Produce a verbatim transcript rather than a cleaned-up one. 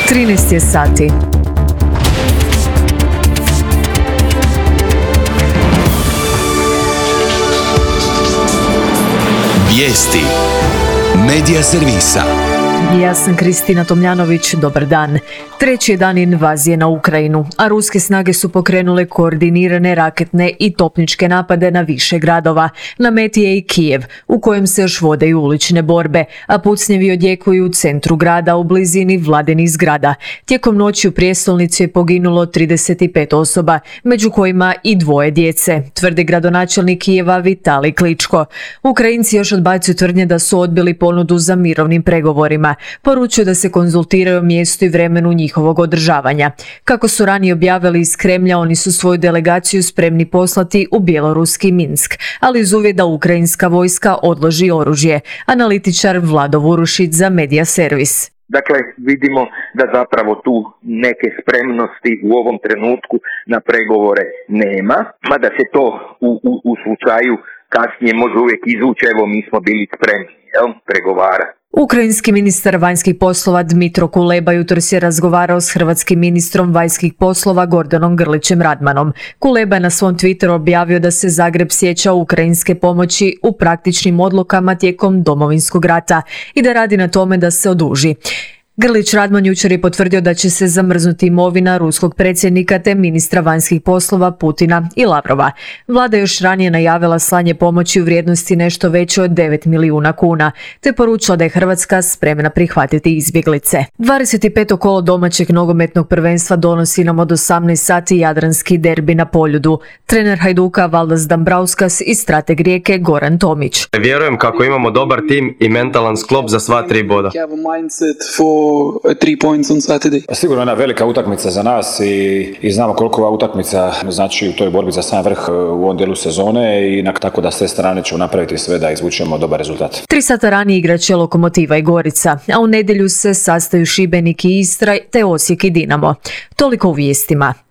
trinaest je sati. Vijesti Medija servisa. Ja sam Kristina Tomljanović, dobar dan. Treći je dan invazije na Ukrajinu, a ruske snage su pokrenule koordinirane raketne i topničke napade na više gradova. Na meti je i Kijev, u kojem se još vode i ulične borbe, a pucnjevi odjekuju u centru grada u blizini vladinih zgrada. Tijekom noći u prijestolnici je poginulo trideset pet osoba, među kojima i dvoje djece, tvrdi gradonačelnik Kijeva Vitalij Kličko. Ukrajinci još odbacuju tvrdnje da su odbili ponudu za mirovnim pregovorima. Poručuju da se konzultiraju o mjestu i vremenu njihovog održavanja. Kako su ranije objavili iz Kremlja, oni su svoju delegaciju spremni poslati u bjeloruski Minsk, ali uz uvjet da ukrajinska vojska odloži oružje. Analitičar Vlado Vurušić za Medija servis. Dakle, vidimo da zapravo tu neke spremnosti u ovom trenutku na pregovore nema, mada se to u, u, u slučaju kasnije može uvijek izvući, evo mi smo bili spremni, jel, pregovara. Ukrajinski ministar vanjskih poslova Dmitro Kuleba jutros je razgovarao s hrvatskim ministrom vanjskih poslova Gordanom Grlićem Radmanom. Kuleba je na svom Twitteru objavio da se Zagreb sjeća ukrajinske pomoći u praktičnim odlukama tijekom Domovinskog rata i da radi na tome da se oduži. Grlić Radman jučer je potvrdio da će se zamrznuti imovina ruskog predsjednika te ministra vanjskih poslova Putina i Lavrova. Vlada još ranije najavila slanje pomoći u vrijednosti nešto veće od devet milijuna kuna, te poručila da je Hrvatska spremna prihvatiti izbjeglice. dvadeset peto kolo domaćeg nogometnog prvenstva donosi nam od osamnaest sati jadranski derbi na Poljudu. Trener Hajduka Valdas Dambrauskas i strateg Rijeke Goran Tomić. Vjerujem kako imamo dobar tim i mentalan sklop za sva tri boda. Three points on Saturday. Sigurno jedna velika utakmica za nas i, i znamo koliko ova utakmica znači u toj borbi za sam vrh u ovom dijelu sezone i na, tako da s te strane ćemo napraviti sve da izvučemo dobar rezultat. Tri sata ranije igraće Lokomotiva i Gorica, a u nedjelju se sastaju Šibenik i Istra te Osijek i Dinamo. Toliko u vijestima.